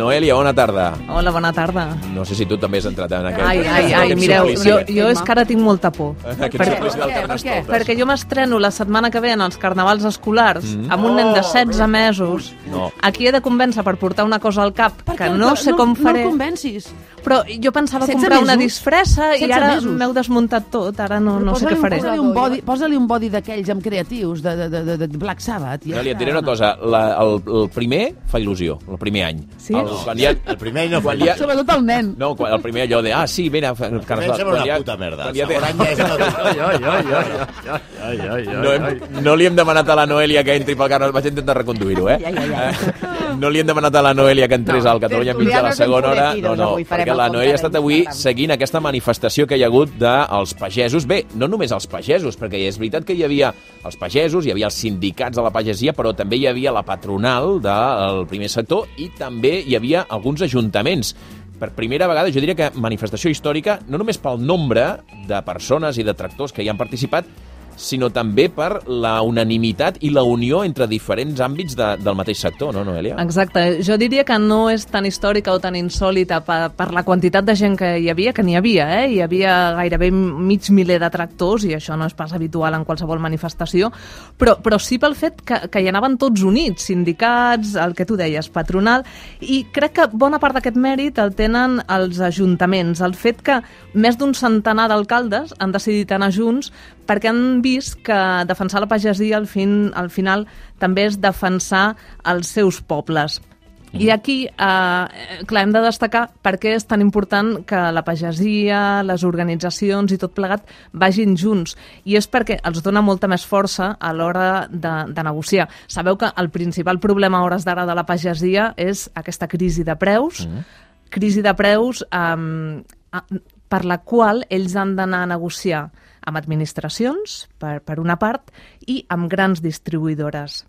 Noelia, bona tarda. Hola, bona tarda. No sé si tu també has entrat en aquest... Ai, mireu, jo és que ara tinc molta por. Perquè jo m'estreno la setmana que ve en els carnavals escolars amb un nen de 16 mesos. Aquí he de convèncer per portar una cosa al cap que no sé com faré. No el convencis. Però jo pensava comprar una disfressa i ara m'heu desmuntat tot. Ara no sé què faré. Posa-li un bodi d'aquells amb creatius de Black Sabbath. Noelia, et diré una cosa. El primer fa il·lusió, el primer any. Sí? El primer any no fa il·lusió. Sobretot el nen. No, el primer allò de, sí, mira... El primer any sembla una puta merda. El segon any ja és no li hem demanat a la Noelia que entri pel carnaval. Vaig intentar reconduir-ho, No li hem demanat a la Noelia que entrés al Catalunya Mitja a la segona hora. No, perquè la Noelia ha estat avui seguint aquesta manifestació que hi ha hagut dels pagesos. Bé, no només els pagesos, perquè és veritat que hi havia els pagesos, hi havia els sindicats de la pagesia, però també hi havia la patronal del primer sector i també hi havia alguns ajuntaments. Per primera vegada, jo diria que manifestació històrica, no només pel nombre de persones i de tractors que hi han participat, sinó també per la unanimitat i la unió entre diferents àmbits del mateix sector, no, Noelia? Exacte. Jo diria que no és tan històrica o tan insòlita per la quantitat de gent que hi havia, Hi havia gairebé mig miler de tractors, i això no és pas habitual en qualsevol manifestació, però sí pel fet que hi anaven tots units, sindicats, el que tu deies, patronal, i crec que bona part d'aquest mèrit el tenen els ajuntaments. El fet que més d'un centenar d'alcaldes han decidit anar junts perquè han vist que defensar la pagesia al final també és defensar els seus pobles. I aquí, clar, hem de destacar per què és tan important que la pagesia, les organitzacions i tot plegat vagin junts. I és perquè els dona molta més força a l'hora de negociar. Sabeu que el principal problema a hores d'ara de la pagesia és aquesta crisi de preus, per la qual ells han d'anar a negociar amb administracions, per una part, i amb grans distribuïdores.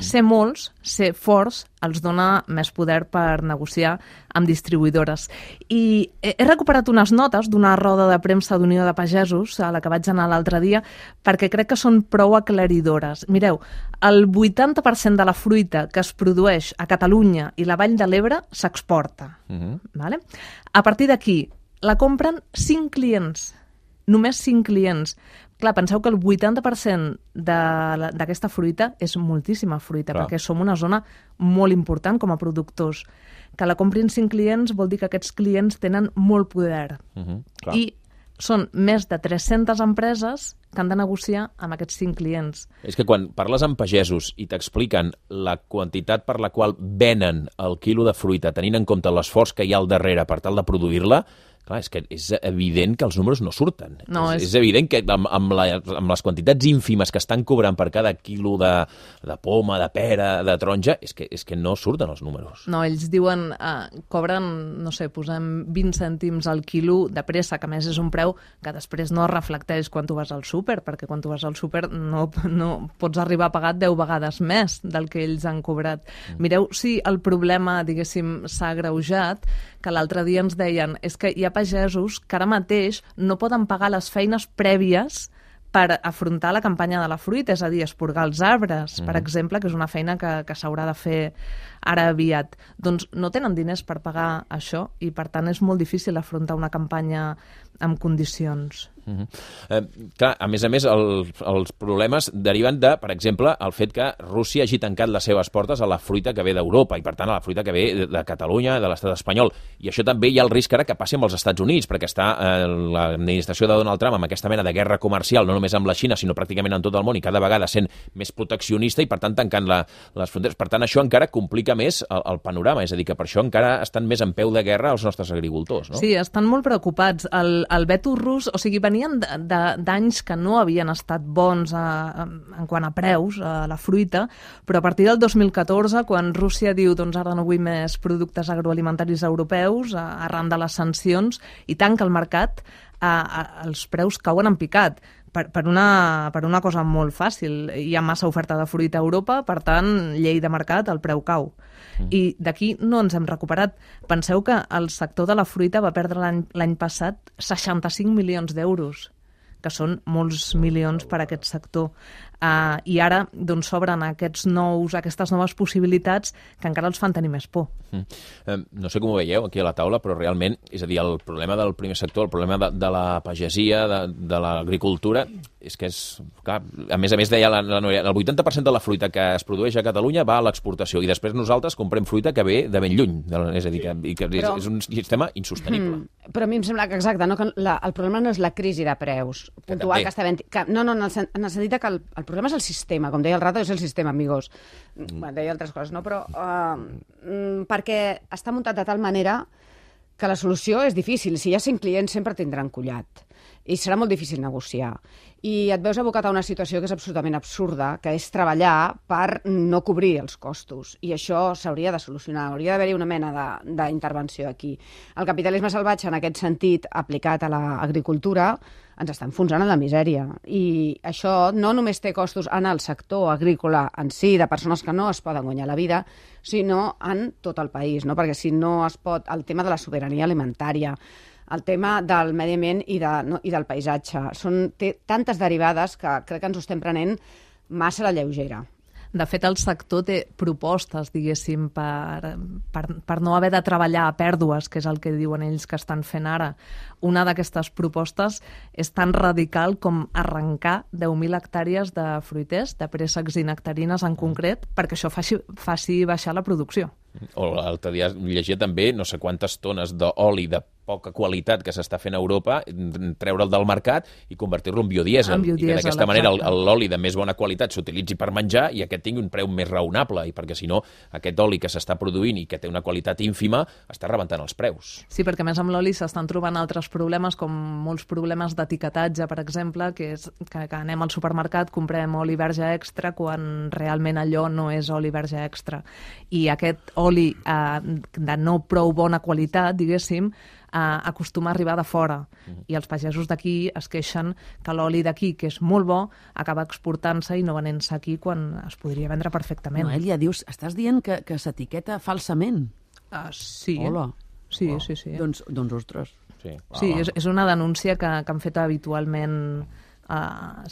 Ser molts, ser forts, els dona més poder per negociar amb distribuïdores. I he recuperat unes notes d'una roda de premsa d'Unió de Pagesos, a la que vaig anar l'altre dia, perquè crec que són prou aclaridores. Mireu, el 80% de la fruita que es produeix a Catalunya i la Vall de l'Ebre s'exporta. Vale? A partir d'aquí, la compren 5 clients. Només 5 clients. Clar, penseu que el 80% d'aquesta fruita és moltíssima fruita, perquè som una zona molt important com a productors. Que la comprin 5 clients vol dir que aquests clients tenen molt poder. I són més de 300 empreses que han de negociar amb aquests 5 clients. És que quan parles amb pagesos i t'expliquen la quantitat per la qual venen el quilo de fruita, tenint en compte l'esforç que hi ha al darrere per tal de produir-la, clar, és que és evident que els números no surten. No, és evident que amb les quantitats ínfimes que estan cobrant per cada quilo de poma, de pera, de taronja, és que no surten els números. No, ells diuen, cobren, no sé, posem 20 cèntims al quilo de pressa, que a més és un preu que després no es reflecteix quan tu vas al súper, perquè quan tu vas al súper no pots arribar a pagar 10 vegades més del que ells han cobrat. Mireu si el problema, diguéssim, s'ha agreujat, que l'altre dia ens deien és que hi ha pagesos que ara mateix no poden pagar les feines prèvies per afrontar la campanya de la fruita, és a dir, esporgar els arbres, per exemple, que és una feina que s'haurà de fer ara aviat. Doncs no tenen diners per pagar això i, per tant, és molt difícil afrontar una campanya amb condicions. Clar, a més, els problemes deriven de, per exemple, el fet que Rússia hagi tancat les seves portes a la fruita que ve d'Europa i, per tant, a la fruita que ve de Catalunya, de l'estat espanyol. I això també hi ha el risc ara que passi amb els Estats Units, perquè està l'administració de Donald Trump amb aquesta mena de guerra comercial, no només amb la Xina, sinó pràcticament en tot el món, i cada vegada sent més proteccionista i, per tant, tancant les fronteres. Per tant, això encara complica més el panorama, és a dir, que per això encara estan més en peu de guerra els nostres agricultors, no? Sí, estan molt preocupats. El veto rus, o sigui, venien d'anys que no havien estat bons en quant a preus, a la fruita, però a partir del 2014, quan Rússia diu doncs ara no vull més productes agroalimentaris europeus, arran de les sancions, i tanca el mercat, els preus cauen en picat. Per una cosa molt fàcil. Hi ha massa oferta de fruita a Europa, per tant, llei de mercat, el preu cau. I d'aquí no ens hem recuperat. Penseu que el sector de la fruita va perdre l'any passat 65 milions d'euros, que són molts milions per a aquest sector. I ara s'obren aquestes noves possibilitats que encara els fan tenir més por. No sé com ho veieu aquí a la taula, però realment, és a dir, el problema del primer sector, el problema de la pagesia, de l'agricultura, és que és... Clar, a més deia la Noelia, el 80% de la fruita que es produeix a Catalunya va a l'exportació i després nosaltres comprem fruita que ve de ben lluny. És a dir, que és un sistema insostenible. Però a mi em sembla que, exacte, que el problema no és la crisi de preus puntual que està havent... No, en el sentit que el problema és el sistema, com deia el Rato, és el sistema, amigos. Deia altres coses, no? Però perquè està muntat de tal manera que la solució és difícil. Si hi ha 5 clients, sempre tindran collat. I serà molt difícil negociar. I et veus abocat a una situació que és absolutament absurda, que és treballar per no cobrir els costos. I això s'hauria de solucionar. Hauria d'haver-hi una mena d'intervenció aquí. El capitalisme salvatge, en aquest sentit, aplicat a l'agricultura, ens està enfonsant en la misèria. I això no només té costos en el sector agrícola en si, de persones que no es poden guanyar la vida, sinó en tot el país, no? Perquè si no es pot... El tema de la sobirania alimentària, el tema del medi ambient i del paisatge. Té tantes derivades que crec que ens ho estem prenent massa a la lleugera. De fet, el sector té propostes, diguéssim, per no haver de treballar a pèrdues, que és el que diuen ells que estan fent ara. Una d'aquestes propostes és tan radical com arrencar 10.000 hectàrees de fruiters, de préssecs i nectarines en concret, perquè això faci baixar la producció. O l'altre dia llegia també no sé quantes tones d'oli de poca qualitat que s'està fent a Europa, treure'l del mercat i convertir-lo en biodièsel. I que d'aquesta manera l'oli de més bona qualitat s'utilitzi per menjar i aquest tingui un preu més raonable, i perquè si no aquest oli que s'està produint i que té una qualitat ínfima està rebentant els preus. Sí, perquè a més amb l'oli s'estan trobant altres problemes, com molts problemes d'etiquetatge, per exemple, que és que anem al supermercat, comprem oli verge extra quan realment allò no és oli verge extra. I aquest oli de no prou bona qualitat, diguéssim, acostuma a arribar de fora. I els pagesos d'aquí es queixen que l'oli d'aquí, que és molt bo, acaba exportant-se i no venent-se aquí quan es podria vendre perfectament. Noelia, dius, estàs dient que s'etiqueta falsament? Sí. Hola. Sí. Doncs ostres. Sí, és una denúncia que han fet habitualment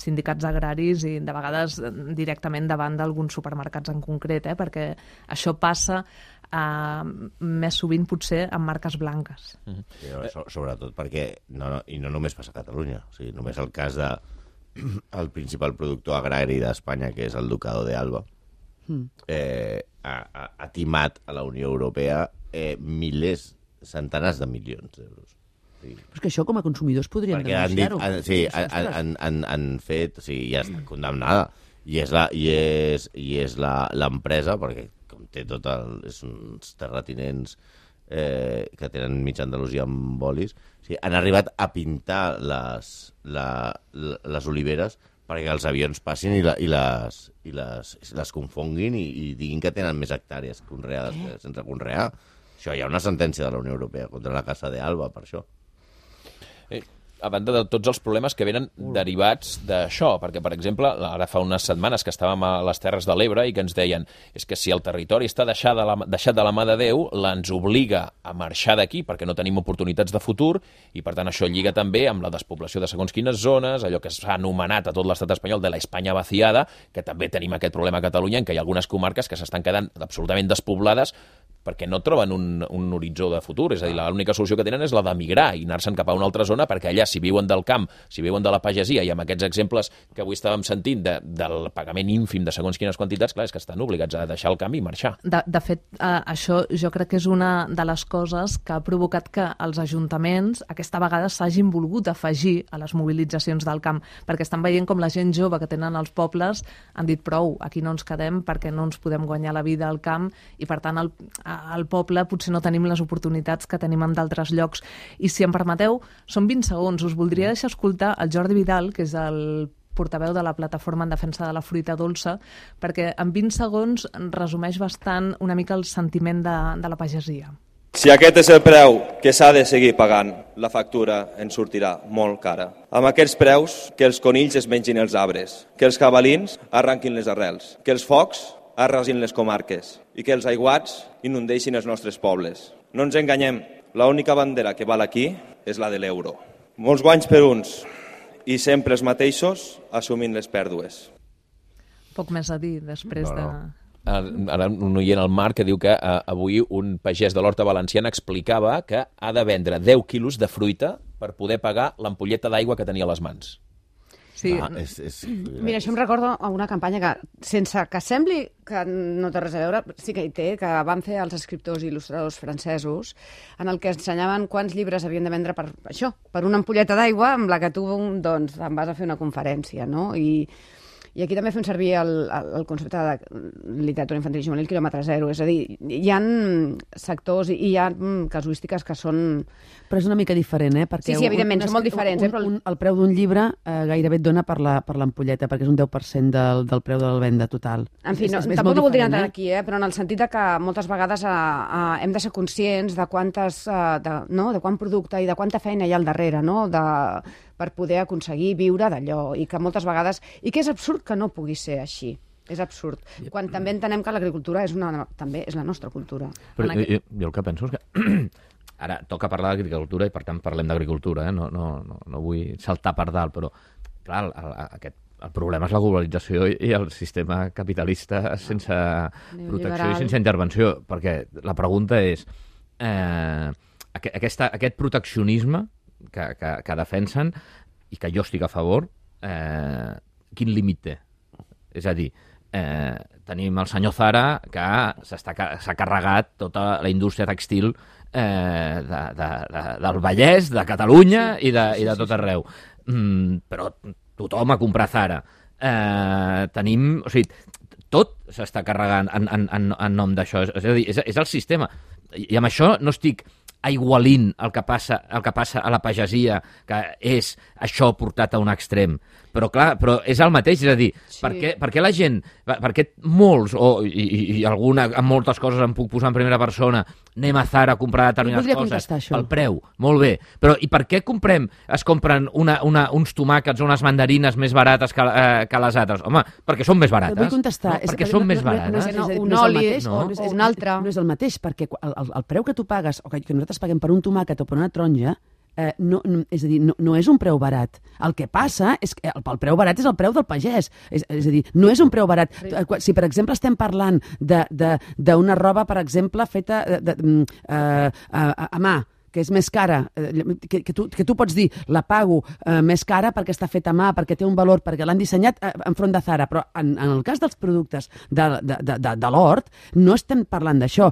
sindicats agraris i de vegades directament davant d'alguns supermercats en concret, perquè això passa més sovint potser amb marques blanques. Sí, sobretot perquè, i no només passa a Catalunya, o sigui, només el cas del principal productor agrari d'Espanya, que és el Ducado de Alba, ha timat a la Unió Europea centenars de milions d'euros. Però és que això com a consumidors podrien denunciar-ho. Sí, han fet... Sí, ja està condemnada. I és l'empresa, perquè com té és uns terratinents que tenen mig Andalusia amb bolis, han arribat a pintar les oliveres perquè els avions passin i les confonguin i diguin que tenen més hectàrees conreades que sense conrear. Això hi ha una sentència de la Unió Europea contra la Casa de Alba, per això. A banda de tots els problemes que venen derivats d'això, perquè, per exemple, ara fa unes setmanes que estàvem a les Terres de l'Ebre i que ens deien és que si el territori està deixat de la mà de Déu, ens obliga a marxar d'aquí perquè no tenim oportunitats de futur i, per tant, això lliga també amb la despoblació de segons quines zones, allò que s'ha anomenat a tot l'estat espanyol de la Espanya vaciada, que també tenim aquest problema a Catalunya, en què hi ha algunes comarques que s'estan quedant absolutament despoblades perquè no troben un horitzó de futur. És a dir, l'única solució que tenen és la d'emigrar i anar-se'n cap a una altra zona, perquè allà, si viuen del camp, si viuen de la pagesia, i amb aquests exemples que avui estàvem sentint del pagament ínfim de segons quines quantitats, clar, és que estan obligats a deixar el camp i marxar. De fet, això jo crec que és una de les coses que ha provocat que els ajuntaments aquesta vegada s'hagin volgut afegir a les mobilitzacions del camp, perquè estan veient com la gent jove que tenen els pobles han dit prou, aquí no ens quedem perquè no ens podem guanyar la vida al camp i, per tant, al poble potser no tenim les oportunitats que tenim en d'altres llocs. I si em permeteu, són 20 segons. Us voldria deixar escoltar el Jordi Vidal, que és el portaveu de la Plataforma en Defensa de la Fruita Dolça, perquè en 20 segons resumeix bastant una mica el sentiment de la pagesia. Si aquest és el preu que s'ha de seguir pagant, la factura ens sortirà molt cara. Amb aquests preus, que els conills es mengin els arbres, que els cavalins arranquin les arrels, que els focs arrasin les comarques i que els aiguats inundeixin els nostres pobles. No ens enganyem, l'única bandera que val aquí és la de l'euro. Molts guanys per uns i sempre els mateixos assumint les pèrdues. Poc més a dir després de... Ara un oient al Marc que diu que avui un pagès de l'Horta Valenciana explicava que ha de vendre 10 quilos de fruita per poder pagar l'ampolleta d'aigua que tenia a les mans. Sí. Mira, això em recorda a una campanya que, sense que sembli que no té res a veure, sí que hi té, que van fer els escriptors i il·lustradors francesos, en el que ensenyaven quants llibres havien de vendre per això, per una ampolleta d'aigua amb la que tu doncs, em vas a fer una conferència, no? I aquí també fem servir el concepte de literatura infantil i juvenil quilòmetre zero. És a dir, hi ha sectors i hi ha casuístiques que són... Però és una mica diferent, Perquè sí, evidentment, són molt diferents. El preu d'un llibre gairebé et dona per l'ampolleta, perquè és un 10% del preu de la venda total. En fi, tampoc no voldria entrar aquí, però en el sentit que moltes vegades hem de ser conscients de de quant producte i de quanta feina hi ha al darrere, no? Per poder aconseguir viure d'allò, i que moltes vegades... I que és absurd que no pugui ser així. És absurd. Quan també entenem que l'agricultura també és la nostra cultura. Però jo el que penso és que... Ara toca parlar d'agricultura i, per tant, parlem d'agricultura. No vull saltar per dalt, però, clar, el problema és la globalització i el sistema capitalista sense protecció i sense intervenció. Perquè la pregunta és... Aquest proteccionisme que defensen i que jo estic a favor, quin límit té? És a dir, tenim el senyor Zara que s'ha carregat tota la indústria textil del Vallès, de Catalunya i de tot arreu. Però tothom a comprar Zara. Tenim... O sigui, tot s'està carregant en nom d'això. És a dir, és el sistema. I amb això no estic aigualint el que passa a la pagesia, que és això portat a un extrem. Però clar, és el mateix, és a dir, per què la gent, perquè molts, i alguna, amb moltes coses em puc posar en primera persona, anem a Zara a comprar determinades coses, pel preu, molt bé, però i per què es compren uns tomàquets o unes mandarines més barates que les altres? Home, perquè són més barates. Vull contestar. Perquè són més barates. Un oli o un altre. No és el mateix, perquè el preu que tu pagues, o que nosaltres paguem per un tomàquet o per una taronja, és a dir, no és un preu barat. El que passa és que el preu barat és el preu del pagès. És a dir, no és un preu barat. Si, per exemple, estem parlant d'una roba, per exemple, feta a mà, que és més cara, que tu pots dir la pago més cara perquè està feta a mà, perquè té un valor, perquè l'han dissenyat enfront de Zara, però en el cas dels productes de l'hort no estem parlant d'això.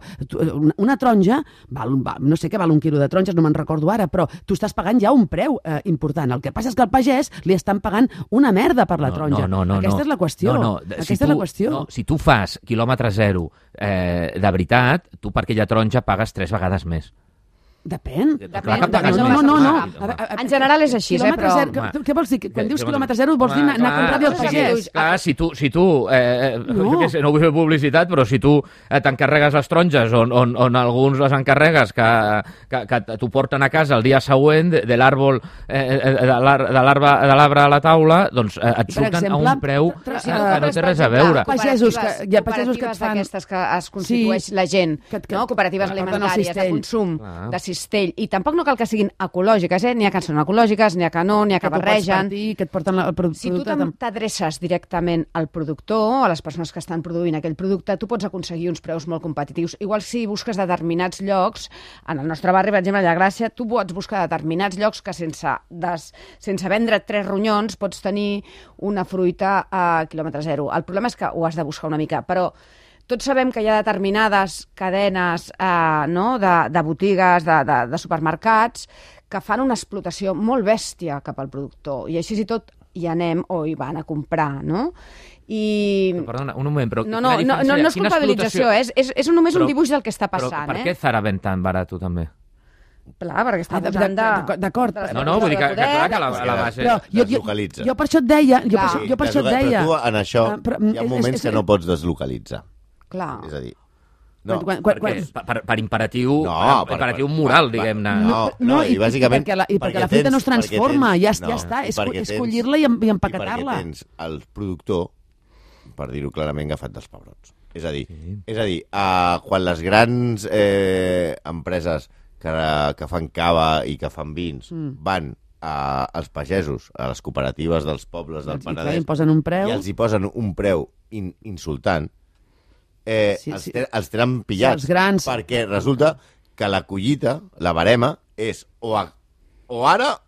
Una taronja, no sé què val un quilo de taronges, no me'n recordo ara, però tu estàs pagant ja un preu important. El que passa és que al pagès li estan pagant una merda per la taronja. Aquesta és la qüestió. Aquesta és la qüestió. Si tu fas quilòmetre zero de veritat, tu per aquella taronja pagues 3 vegades més. Depèn. No. En general és així, però... Què vols dir? Quan dius quilòmetre zero vols dir anar a comprar-li al pagès? Clar, si tu no vull fer publicitat, però si tu t'encarregues les taronges on alguns les encarregues que t'ho porten a casa el dia següent de l'àrbol de l'arbre a la taula, doncs et surten a un preu que no té res a veure. Pagesos que fan... D'aquestes que es constitueix la gent, cooperatives alimentàries de consum, de cistell, i tampoc no cal que siguin ecològiques, n'hi ha que són ecològiques, n'hi ha que no, n'hi ha que barregen. Que et porten el producte. Si tu t'adreces directament al productor, a les persones que estan produint aquell producte, tu pots aconseguir uns preus molt competitius. Igual si busques determinats llocs, en el nostre barri, per exemple, a Llagrácia, tu pots buscar determinats llocs que sense vendre 3 ronyons pots tenir una fruita a quilòmetre zero. El problema és que ho has de buscar una mica, però tots sabem que hi ha determinades cadenes de botigues, de supermercats, que fan una explotació molt bèstia cap al productor. I així i tot hi anem o hi van a comprar, no? Perdona, un moment, però... No és culpabilització, és només un dibuix del que està passant. Però per què Zara ven tan barat, també? Clar, perquè està posant d'acord. No, vull dir que clar que la base... Deslocalitza. Jo per això et deia... Però tu en això hi ha moments que no pots deslocalitzar. Clar. És a dir... Per imperatiu moral, diguem-ne. No, i bàsicament... Perquè la fruita no es transforma, ja està, és collir-la i empaquetar-la. I perquè tens el productor, per dir-ho clarament, agafat dels pebrots. És a dir, quan les grans empreses que fan cava i que fan vins van als pagesos, a les cooperatives dels pobles del Penedès, i posen un preu, i els hi posen un preu insultant, els tenen pillats. Els grans... Perquè resulta que la collita, la barema, és o ara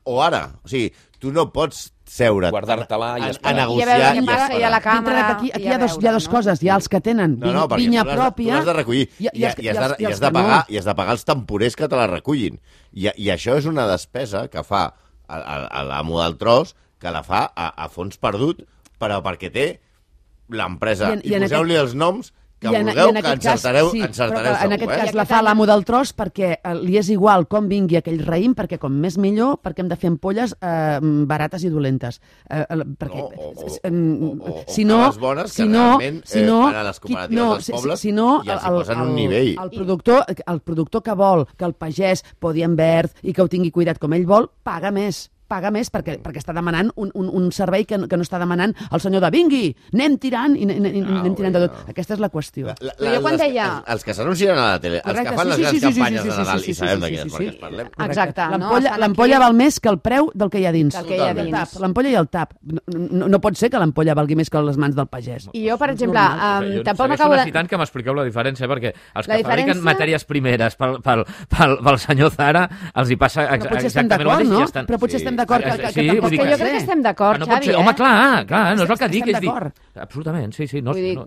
o ara. O sigui, tu no pots seure guardar-te-la i a negociar i a veure, la càmera... Aquí hi ha dos coses. Hi ha els que tenen vinya pròpia... Tu l'has de recollir i has de pagar els temporers que te la recullin. I això és una despesa que fa l'amo del tros, que la fa a fons perdut, però perquè té l'empresa. I poseu-li els noms que vulgueu, que encertareu segur. En aquest cas la fa l'amo del tros perquè li és igual com vingui aquell raïm, perquè com més millor, perquè hem de fer ampolles barates i dolentes. Si no, les bones que realment van a les cooperatives dels pobles i els posen un nivell. El productor que vol que el pagès podi en verd i que ho tingui cuidat com ell vol, paga més perquè està demanant un servei que no està demanant el senyor de vingui, anem tirant i anem tirant de tot. Aquesta és la qüestió. Jo quan deia... Els que s'anuncien a la tele, els que fan les grans campanyes de Nadal, i sabem de quines marques parlem. Exacte. L'ampolla val més que el preu del que hi ha dins. L'ampolla i el tap. No pot ser que l'ampolla valgui més que les mans del pagès. I jo, per exemple, tampoc m'acabo de... necessitant que m'expliqueu la diferència, perquè els que fabriquen matèries primeres pel senyor Zara els hi passa exactament el mateix. Però potser estem d'acord que jo crec que estem d'acord, Xavi. Home, clar, no és el que dic. Absolutament, sí. No volia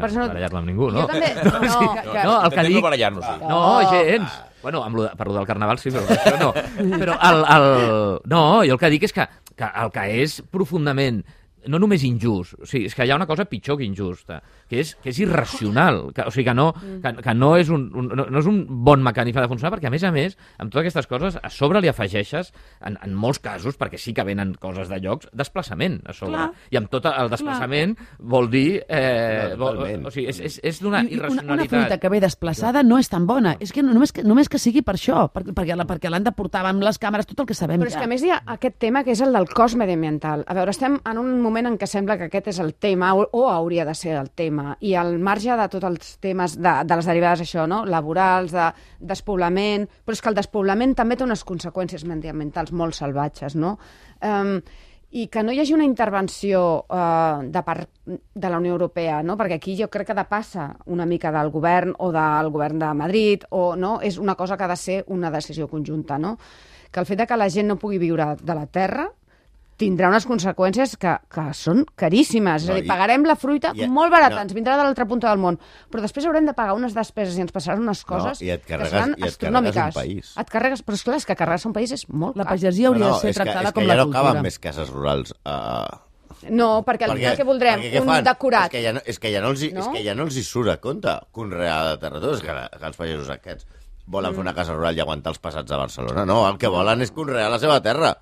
barallar-me amb ningú, no? Jo també... No, el que dic... No, gens. Bueno, per lo del carnaval sí, però això no. Però no, jo el que dic és que el que és profundament no només injust, o sigui, és que hi ha una cosa pitjor que injusta, que és irracional, o sigui, que no és un bon mecanisme de funcionar, perquè a més, amb totes aquestes coses, a sobre li afegeixes, en molts casos, perquè sí que venen coses de llocs, desplaçament a sobre. Clar. I amb tot el desplaçament vol dir... o sigui, és d'una irracionalitat. Una fruita que ve desplaçada no és tan bona, és que només que sigui per això, perquè l'han de portar amb les càmeres, tot el que sabem. Però és que a més hi ha aquest tema que és el del cost mediambiental. A veure, estem en un moment en què sembla que aquest és el tema, o hauria de ser el tema, i al marge de tots els temes de les derivades, això, no? Laborals, de despoblament, però és que el despoblament també té unes conseqüències mediambientals molt salvatges, no? I que no hi hagi una intervenció de part de la Unió Europea, no? Perquè aquí jo crec que depassa una mica del govern o del govern de Madrid, o no? És una cosa que ha de ser una decisió conjunta, no? Que el fet de que la gent no pugui viure de la terra tindrà unes conseqüències que són caríssimes. És a dir, pagarem la fruita molt barata, ens vindrà de l'altra punta del món, però després haurem de pagar unes despeses i ens passaran unes coses que seran astronòmiques. Et carregues, però esclar, és que carregar-se un país és molt car. La pagesia hauria de ser tractada com la cultura. És que ja no caben més cases rurals. No, perquè al final què voldrem? Un decorat. És que ja no els hi surt a compte conrear de terra. És que els pagesos aquests volen fer una casa rural i aguantar els passats a Barcelona. No, el que volen és conrear la seva terra.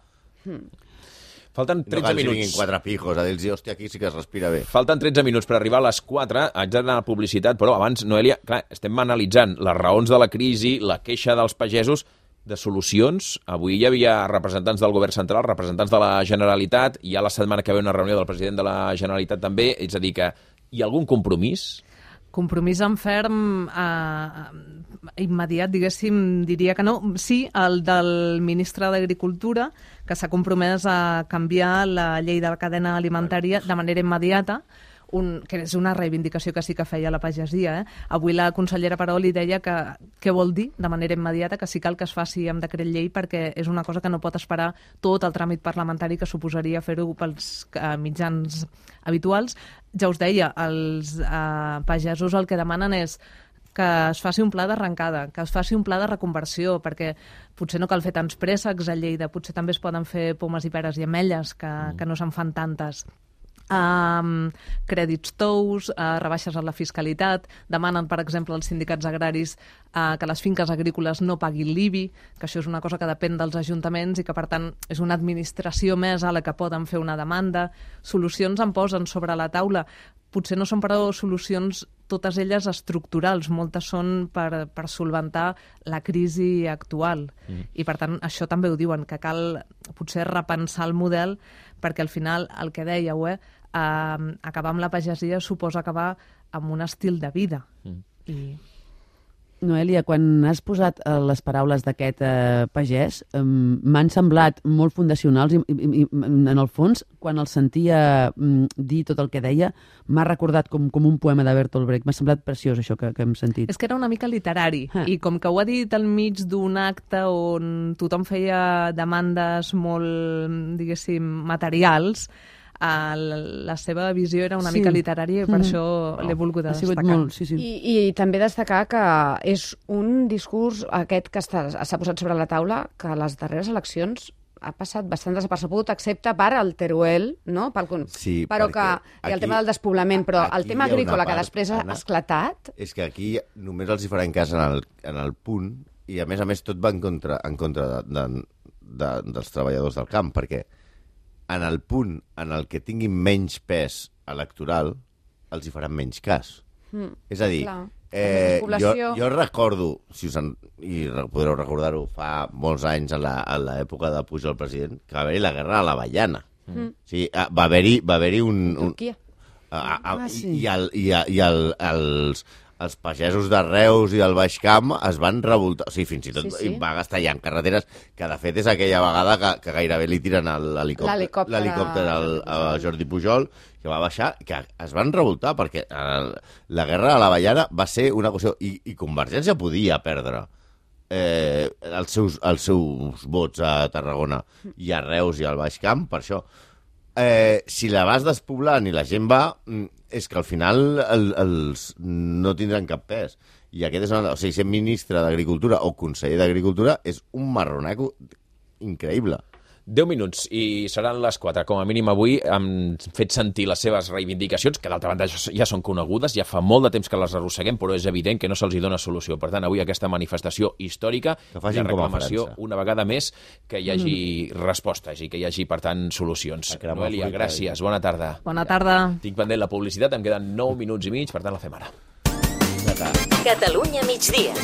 Falten 13 minuts. No cal 4 pijos, a dir-los, hòstia, aquí sí que es respira bé. Falten 13 minuts per arribar a les 4, haig d'anar a publicitat, però abans, Noelia, clar, estem analitzant les raons de la crisi, la queixa dels pagesos, de solucions. Avui hi havia representants del govern central, representants de la Generalitat, hi ha la setmana que ve una reunió del president de la Generalitat també, és a dir que hi ha algun compromís? Compromís en ferm immediat, diguéssim, diria que no. Sí, el del ministre d'Agricultura, que s'ha compromès a canviar la llei de la cadena alimentària de manera immediata, que és una reivindicació que sí que feia la pagesia. Avui la consellera Paroli deia que què vol dir de manera immediata, que sí cal que es faci amb decret llei perquè és una cosa que no pot esperar tot el tràmit parlamentari que suposaria fer-ho pels mitjans habituals. Ja us deia, els pagesos el que demanen és que es faci un pla d'arrencada, que es faci un pla de reconversió, perquè potser no cal fer tants préssecs a Lleida, potser també es poden fer pomes i peres i ametlles, que no se'n fan tantes. Crèdits tous, rebaixes en la fiscalitat, demanen, per exemple, els sindicats agraris que les finques agrícoles no paguin l'IBI, que això és una cosa que depèn dels ajuntaments i que, per tant, és una administració més a la que poden fer una demanda. Solucions en posen sobre la taula. Potser no són, però, solucions totes elles estructurals, moltes són per solventar la crisi actual. I, per tant, això també ho diuen, que cal potser repensar el model, perquè al final, el que dèieu, acabar amb la pagesia suposa acabar amb un estil de vida. Noelia, quan has posat les paraules d'aquest pagès, m'han semblat molt fundacionals i en el fons, quan el sentia dir tot el que deia, m'ha recordat com un poema de Bertolt Brecht. M'ha semblat preciós això que hem sentit. És que era una mica literari, i com que ho ha dit al mig d'un acte on tothom feia demandes molt, diguéssim, materials, la seva visió era una mica literària i per això l'he volgut destacar. Molt, sí. I també destacar que és un discurs aquest que s'ha posat sobre la taula que a les darreres eleccions ha passat bastant desapercebut, excepte per al Teruel, no? Sí, però que i el tema del despoblament, però el tema agrícola que després ha esclatat... És que aquí només els hi faran cas en el punt, i a més tot va en contra dels treballadors del camp, perquè en el punt en el que tinguin menys pes electoral, els hi faran menys cas. És a dir, jo recordo, i podreu recordar-ho, fa molts anys, a l'època de Pujol president, que va haver-hi la guerra a l'Avellana. Sí, va haver-hi un... Turquia. Els pagesos de Reus i del Baix Camp es van revoltar, o sigui, fins i tot va gastar ja en carreteres, que de fet és aquella vegada que gairebé li tiren l'helicòpter a Jordi Pujol, que va baixar, que es van revoltar, perquè la guerra a l'Avellana va ser una qüestió, i Convergència podia perdre els seus vots a Tarragona i a Reus i al Baix Camp, per això. Si la vas despoblant i la gent va, és que al final no tindran cap pes. I aquest és o sigui, ser ministre d'Agricultura o conseller d'Agricultura és un marronaco increïble. 10 minuts i seran les 4. Com a mínim avui han fet sentir les seves reivindicacions, que d'altra banda ja són conegudes, ja fa molt de temps que les arrosseguem, però és evident que no se'ls dona solució. Per tant, avui aquesta manifestació històrica de reclamació, una vegada més, que hi hagi respostes i que hi hagi, per tant, solucions. Noelia, gràcies, bona tarda. Bona tarda. Tinc pendent la publicitat, em queden 9 minuts i mig, per tant la fem ara. Catalunya migdia.